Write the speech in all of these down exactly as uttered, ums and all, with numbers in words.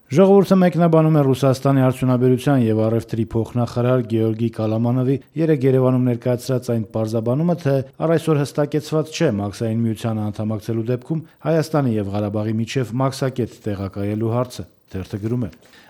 Ժողովուրդը մեկնաբանում է Ռուսաստանի արդյունաբերության եւ առևտրի փոխնախարար Գեորգի Կալամանովի երեկ Երևանում ներկայացրած այն պարզաբանումը, թե առ այսօր հստակեցված չէ Մաքսային միությանը անդամակցելու դեպքում Հայաստանի եւ Ղարաբաղի միջև մաքսակետ տեղակայելու հարցը։ Թերթը գրում է.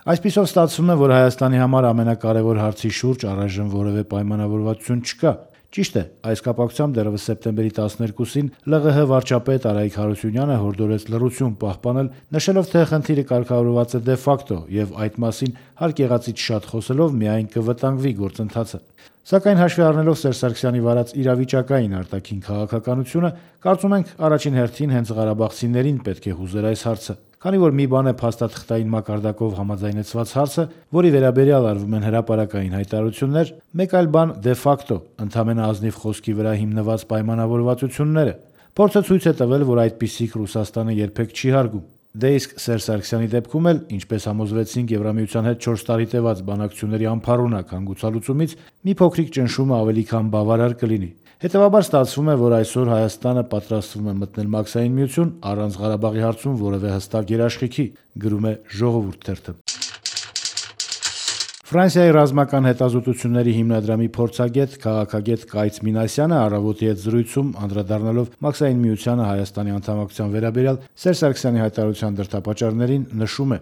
Այսպիսով ստացվում է, որ Հայաստանի համար ամենակարևոր հարցի շուրջ առայժմ որևէ պայմանավորվածություն չկա։ Ճիշտ է, այս կապակցությամբ դեռևս սեպտեմբերի տասներկուսին ԼՂՀ վարչապետ Արայիկ Հարությունյանը հորդորեց լռություն պահպանել, նշելով, թե խնդիրը կարգավորված է դե ֆակտո եւ այդ մասին հարկ եղածից շատ խոսելով միայն կվտանգվի գործընթացը։ Սակայն հաշվի առնելով Սերժ Սարգսյանի վարած իրավիճակային արտաքին քաղաքականությունը, կարծում ենք առաջին հերթին հենց ղարաբաղցիներին պետք է հուզեր այս հարցը։ Քանի որ մի բան է փաստաթղթային մակարդակով համաձայնեցված հարցը, որի վերաբերյալ արվում են հրապարակային հայտարարություններ, մեկ այլ բան դե ֆակտո, ընդամենը ազնիվ խոսքի վրա հիմնված պայմանավորվածությունները։ Փորձը ցույց է տվել, որ այդպիսիք Ռուսաստանը երբեք չի հարգում։ Դե իսկ Սերժ Սարգսյանի դեպքում էլ, ինչպես համոզվեցինք Եվրամիության հետ չորս տարի տևած բանակցությունների անփառունակ հանգուցալուծումից, մի փոքրիկ ճնշումը ավելի քան բավարար կլինի։ Հետևաբար ստացվում է, որ այսօր Հայաստանը պատրաստվում է մտնել Մաքսային միություն առանց Ղարաբաղի հարցում որևէ հստակ երաշխիքի, գրում է Ժողովուրդ թերթը։ Ֆրանսիայի ռազմական հետազոտությունների հիմնադրամի փորձագետ, քաղաքագետ Կայց Մինասյանը առավոտի հետ զրույցում անդրադառնալով Մաքսային միությանը Հայաստանի անդամակցության վերաբերյալ Սերժ Սարգսյանի հայտարարության դրդապատճառներին նշում է.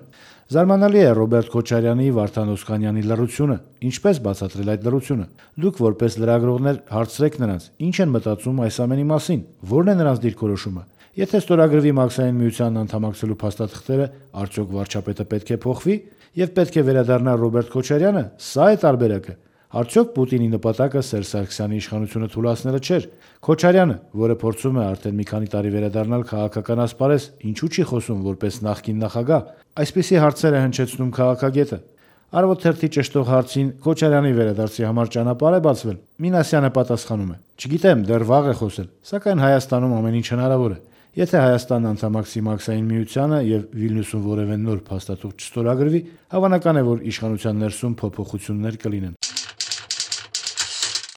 Զարմանալի է Ռոբերտ Քոչարյանի, Վարդան Օսկանյանի լռությունը։ Ինչպես բացատրել այդ լռությունը։ Դուք որպես լրագրողներ հարցրեք նրանց, ինչ են մտածում այս ամենի մասին, ո՞րն է նրանց դիրքորոշումը։ Եթե ստորագրվի Մաքսային միությանն անդամակցելու փաստաթղթերը, արդյոք վարչապետը պետք է փոխվի եւ պետք է վերադառնա Ռոբերտ Քոչարյանը, սա է տարբերակը։ Արդյոք Պուտինի նպատակը Սերժ Սարգսյանի իշխանությունը թուլացնելը չէր։ Քոչարյանը, որը փորձում է արդեն մի քանի տարի վերադառնալ քաղաքական ասպարեզ, ինչու՞ չի խոսում որպես նախկին նախագահ։ Այսպիսի հարցեր է հնչեցնում քաղաքագետը։ Արևոտ թերթի ճշտող հարցին Քոչարյանի վերադարձի համար ճանապարհ է բացվել։ Մինասյանը պատասխանում է. Չգիտեմ, դեռ վաղ է խոսել, սակայն Հայաստանում ամեն ինչ հնարավոր է։ Եթե Հայաստանն անդամակցի Մաքսային միությանը եւ Վիլնյուսում որևէ նոր փաստաթուղթ չստորագրվի, հավանական է, որ իշխանության ներսում փոփոխություններ կլինեն։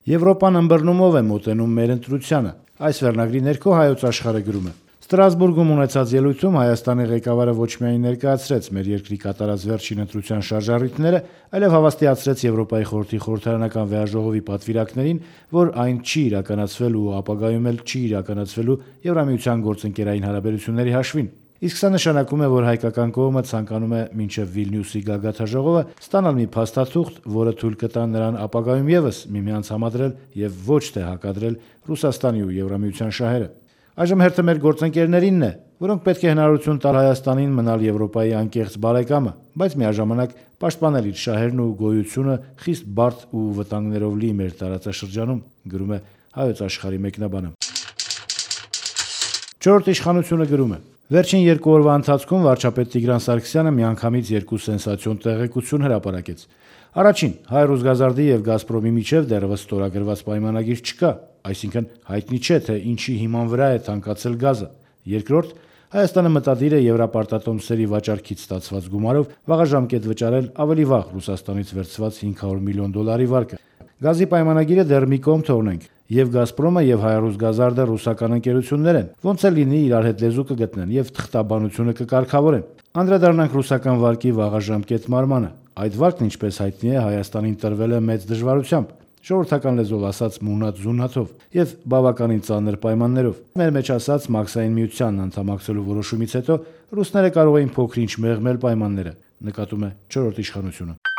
Եվրոպան ըմբռնումով է մոտենում մեր ընտրությանը։ Այս վերնագրի ներքո Հայոց Աշխարհը գրում է. Ստրասբուրգում ունեցած ելույթում Հայաստանի ղեկավարը ոչ միայն ներկայացրեց մեր երկրի կատարած վերջին ընտրության շարժառիթները, այլև հավաստիացրեց Եվրոպայի խորհրդի խորհրդարանական վեհաժողովի պատվիրակներին, որ այն չի իրականացվել ու ապագայում էլ չի իրականացվելու Եվրամիության գործընկերային հարաբերությունների հաշվին։ Իսկ սա նշանակում է, որ հայկական կողմը ցանկանում է մինչև Վիլնյուսի գագաթաժողովը ստանալ մի փաստաթուղթ, որը թույլ կտա նրան ապագայում եւս միմյանց համադրել եւ ոչ թե հակադրել Ռուսաստանի ու Եվրամիության շահերը։ Այժմ հերթը մեր գործընկերներինն է, որոնք պետք է հնարավորություն տալ Հայաստանին մնալ Եվրոպայի անկեղծ բարեկամը, բայց միաժամանակ պաշտպանել իր շահերն ու գոյությունը խիստ բարդ ու վտանգներով լի մեր տարածաշրջանում, գրում է Հայոց Աշխարհի մեկնաբանը։ Չորրորդ իշխանությունը գրում է. Վերջին երկու օրվա ընթացքում վարչապետ Տիգրան Սարգսյանը միանգամից երկու սենսացիոն տեղեկություն հրապարակեց։ Առաջին, Հայ-Ռուսգազարդի եւ Գազպրոմի միջև դեռևս ստորագրված պայմանագիր չկա, այսինքն հայտնի չէ, թե ինչի հիման վրա է թանկացել գազը։ Երկրորդ, Հայաստանը մտադիր է Եվրապարտատոմսերի վաճառքից ստացված գումարով վաղաժամկետ վճարել ավելի վաղ Ռուսաստանից վերցված հինգ հարյուր միլիոն դոլարի վարկը։ Գազի պայմանագիրը դեռ մի կողմ թողնենք։ Եվ Գազպրոմը եւ Հայ-Ռուսգազարդը ռուսական ընկերություններ են, ոնց էլ լինի իրար հետ լեզու կգտնեն եւ թղթաբանությունը կկարգավորեն։ Անդրադառնանք ռուսական վարկի վաղաժամկետ մարմանը։ Այդ վարկն, ինչպես հայտնի է, Հայաստանին տրվել է մեծ դժվարությամբ, ժողովրդական լեզվով ասած մունատ զունաթով եւ բավականին ծանր պայմաններով։ Մեր մեջ ասած Մաքսային միությանն անդամակցելու որոշումից հետո ռուսները կարող էին փոքր-ինչ մեղմել պայմանները, նկատում է չորրորդ իշխանությունը։